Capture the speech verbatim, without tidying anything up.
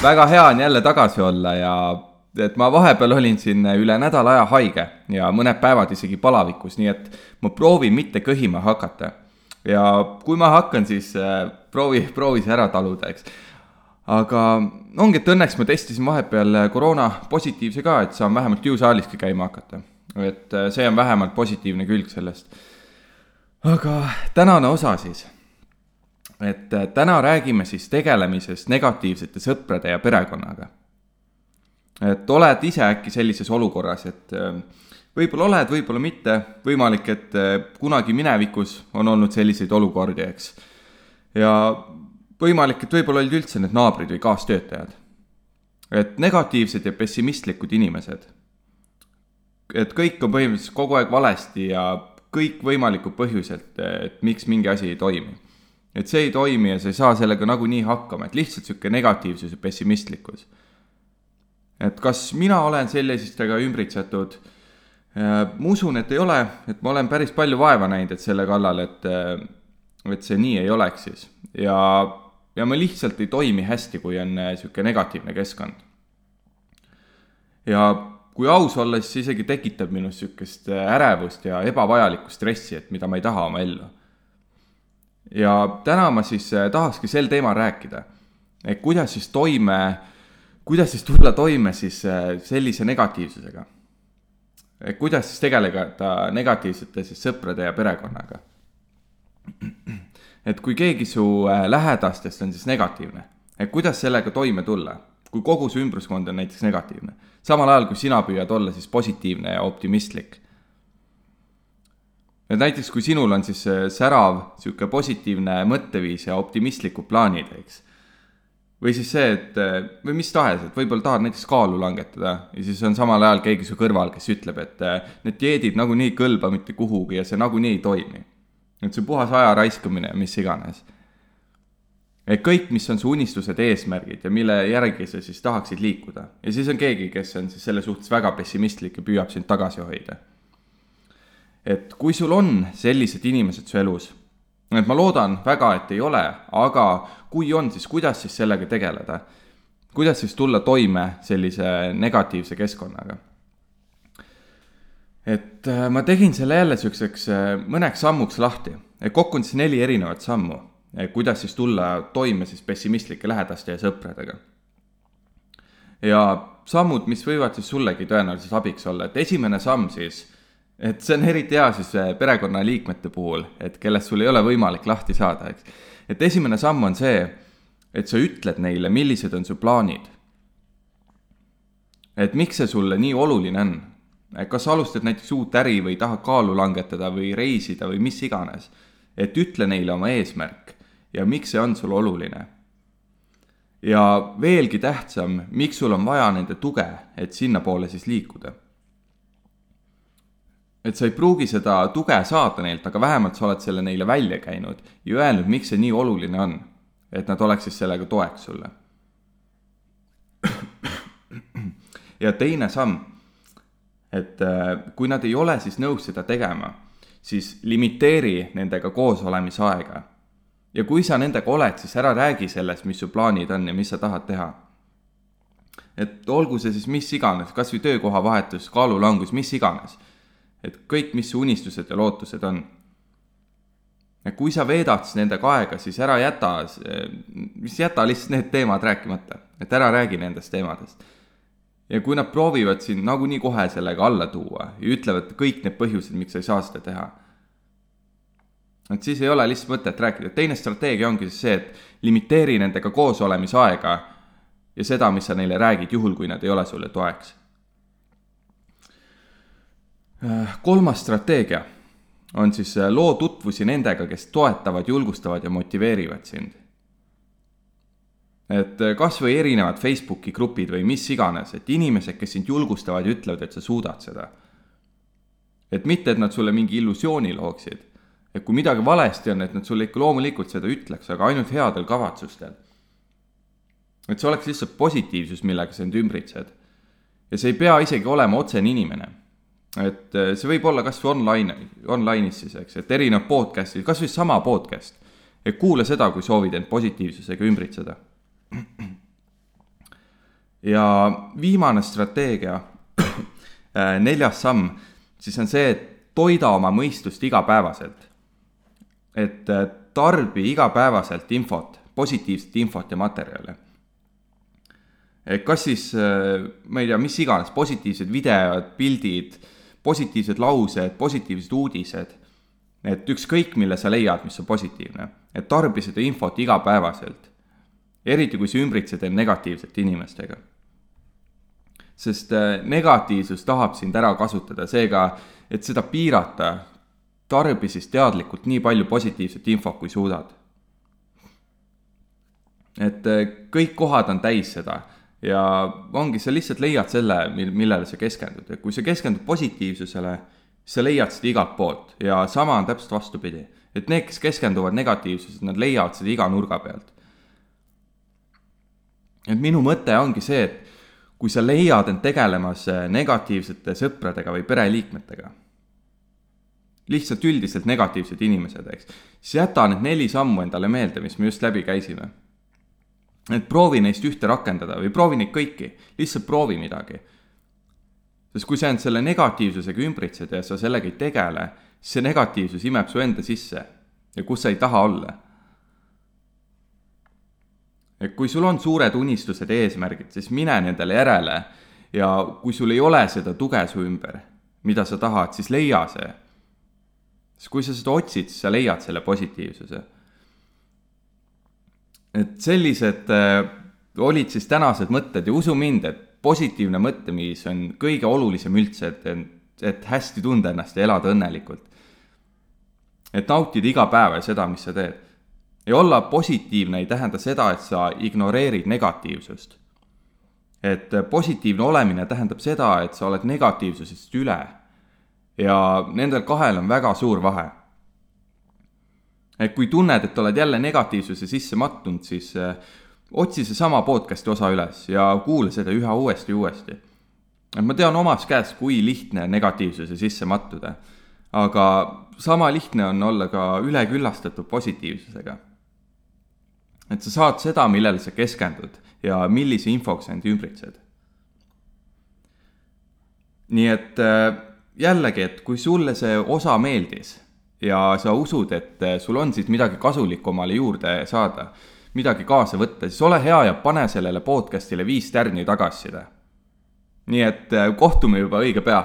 väga hea on jälle tagasi olla ja et ma vahepeal olin siin üle nädala aja haige ja mõned päevad isegi palavikus, nii et ma proovin mitte kõhima hakata. Ja kui ma hakkan, siis proovi, proovi see ära taluda, eks. Aga ongi, et õnneks ma testisin vahepeal koroona positiivse ka, et saan vähemalt jõusaaliski käima hakata. Et see on vähemalt positiivne külg sellest. Aga tänane osa siis. Et täna räägime siis tegelemisest negatiivsete sõprade ja perekonnaga. Et oled ise äkki sellises olukorras, et võib-olla oled, võib-olla mitte, võimalik, et kunagi minevikus on olnud selliseid olukordi, eks. Ja võimalik, et võib-olla olid üldse need naabrid või kaastöötajad. Et negatiivsed ja pessimistlikud inimesed. Et kõik on põhimõtteliselt kogu aeg valesti ja kõik võimalikud põhjuselt, et miks mingi asi ei toimi. Et see ei toimi ja sa ei saa sellega nagu nii hakkama, et lihtsalt siuke negatiivsus ja pessimistlikkus. Et kas mina olen sellisestega ümbritsetud? Ma usun, et ei ole, et ma olen päris palju vaeva näinud, et selle kallal, et, et see nii ei oleks siis. Ja, ja ma lihtsalt ei toimi hästi, kui on siuke negatiivne keskkond. Ja kui aus olla, siis isegi tekitab minu siukest ärevust ja ebavajalikku stressi, et mida ma ei taha oma ellu. Ja täna ma siis tahakski sel teemal rääkida, et kuidas siis toime, kuidas siis tulla toime siis sellise negatiivsusega. Et kuidas siis tegeleda negatiivsete siis sõprade ja perekonnaga. Et kui keegi su lähedastest on siis negatiivne, et kuidas sellega toime tulla, kui kogu su ümbruskond on näiteks negatiivne, samal ajal kui sina püüad olla siis positiivne ja optimistlik. Et näiteks kui sinul on siis särav, siuke positiivne mõtteviis ja optimistlikud plaanid, eks. Või siis see, et, või mis tahes, et võib-olla tahad näiteks kaalu langetada ja siis on samal ajal keegi su kõrval, kes ütleb, et need dieedid nagu nii kõlba mitte kuhugi ja see nagu nii ei toimi. Et see puhas aja raiskamine ja mis iganes. Et kõik, mis on su unistused eesmärgid ja mille järgi sa siis tahaksid liikuda. Ja siis on keegi, kes on siis selle suhtes väga pessimistlik ja püüab sind tagasi hoida. Et kui sul on sellised inimesed su elus, et ma loodan väga, et ei ole, aga kui on, siis kuidas siis sellega tegeleda? Kuidas siis tulla toime sellise negatiivse keskkonnaga? Et ma tegin selle jälle selliseks mõneks sammuks lahti. Et kokku on siis neli erinevat sammu, kuidas siis tulla toime siis pessimistlike lähedaste ja sõpradega. Ja sammud, mis võivad siis sullegi tõenäoliselt abiks olla, et esimene samm siis, et see on eriti hea siis perekonna liikmete puhul, et kellest sul ei ole võimalik lahti saada. Eks. Et esimene samm on see, et sa ütled neile, millised on su plaanid. Et miks see sulle nii oluline on? Et kas sa alustad näiteks uut äri või tahad kaalu langetada või reisida või mis iganes. Et ütle neile oma eesmärk ja miks see on sul oluline. Ja veelgi tähtsam, miks sul on vaja nende tuge, et sinna poole siis liikuda. Et sa ei pruugi seda tuge saada neilt, aga vähemalt sa oled selle neile välja käinud ja öelnud, miks see nii oluline on, et nad oleks siis sellega toeks sulle. Ja teine samm, et kui nad ei ole siis nõus seda tegema, siis limiteeri nendega koos olemisaega. Ja kui sa nendega oled, siis ära räägi sellest, mis su plaanid on ja mis sa tahad teha. Et olgu see siis mis iganes, kas või töökoha vahetus, kaalulangus, mis iganes. Et kõik, mis su unistused ja lootused on. Ja kui sa veedad nendega aega, siis ära jäta, mis jäta lihtsalt need teemad rääkimata. Et ära räägi nendest teemadest. Ja kui nad proovivad siin nagu nii kohe sellega alla tuua ja ütlevad kõik need põhjused, miks sa ei saa seda teha. Et siis ei ole lihtsalt mõtet rääkida. Teine strateegia ongi see, et limiteeri nendega koos olemisaega ja seda, mis sa neile räägid juhul, kui nad ei ole sulle toeks. Kolmas strateegia on siis loo tutvusi nendega, kes toetavad, julgustavad ja motiveerivad sind. Et kas või erinevad Facebooki grupid või mis iganes, et inimesed, kes sind julgustavad ja ütlevad, et sa suudad seda. Et mitte, et nad sulle mingi illusiooni looksid. Et kui midagi valesti on, et nad sulle ikka loomulikult seda ütleks, aga ainult headel kavatsustel. Et see oleks lihtsalt positiivsus, millega sa end ümbritsed. Ja see ei pea isegi olema otsene inimene. Et see võib olla kas või online, online'is siis, eks, et erinev podcastid, kas või sama podcast. Et kuule seda, kui soovid end positiivsusega ümbritseda. ja viimane strateegia, neljas samm, siis on see, et toida oma mõistust igapäevaselt. Et tarbi igapäevaselt infot, positiivset infot ja materjale. Kas siis, ma ei tea, mis iganes, positiivsed videod, pildid, positiivsed laused, positiivsed uudised, et ükskõik, mille sa leiad, mis on positiivne, et tarbi seda infot igapäevaselt, eriti kui sa ümbritsed end negatiivsete inimestega. Sest negatiivsus tahab sind ära kasutada, seega, et seda piirata, tarbi siis teadlikult nii palju positiivset infot, kui suudad. Et kõik kohad on täis seda ja ongi, sa lihtsalt leiad selle, millele sa keskendud. Ja kui sa keskendud positiivsusele, sa leiad seda igalt poolt ja sama on täpselt vastupidi. Et need, kes keskenduvad negatiivsused, nad leiavad seda iga nurga pealt. Et minu mõte ongi see, et kui sa leiad end tegelemas negatiivsete sõpradega või pereliikmetega, lihtsalt üldiselt negatiivsed inimesed, eks, siis jäta need neli sammu endale meelde, mis me just läbi käisime. Et proovi neist ühte rakendada või proovi neid kõiki, lihtsalt proovi midagi. Sest kui sa end selle negatiivsusega ümbritsed ja sa sellega ei tegele, siis see negatiivsus imeb su enda sisse ja kus sa ei taha olla. Et kui sul on suured unistused ja eesmärgid, siis mine nendele järele ja kui sul ei ole seda tuge su ümber, mida sa tahad, siis leia see. Sest kui sa seda otsid, siis sa leiad selle positiivsuse. Et sellised äh, olid siis tänased mõtted ja usu mind, et positiivne mõttemis on kõige olulisem üldse, et, et hästi tunda ennast ja elada õnnelikult. Et nautida iga päev ja seda, mis sa teed. Ja olla positiivne ei tähenda seda, et sa ignoreerid negatiivsust. Et positiivne olemine tähendab seda, et sa oled negatiivsusest üle. Ja nendel kahel on väga suur vahe. Et kui tunned, et oled jälle negatiivsuse sisse mattunud, siis otsi see sama podcasti osa üles ja kuule seda üha uuesti ja uuesti. Et ma tean omast käest, kui lihtne negatiivsuse sisse mattuda. Aga sama lihtne on olla ka üleküllastatud positiivsusega. Et sa saad seda, millele sa keskendud ja millise infoks sa end ümbritsed. Nii et jällegi, et kui sulle see osa meeldis ja sa usud, et sul on siis midagi kasulikku omale juurde saada, midagi kaasa võtta, siis ole hea ja pane sellele podcastile viis tärni tagasiside. Nii et kohtume juba õige pea.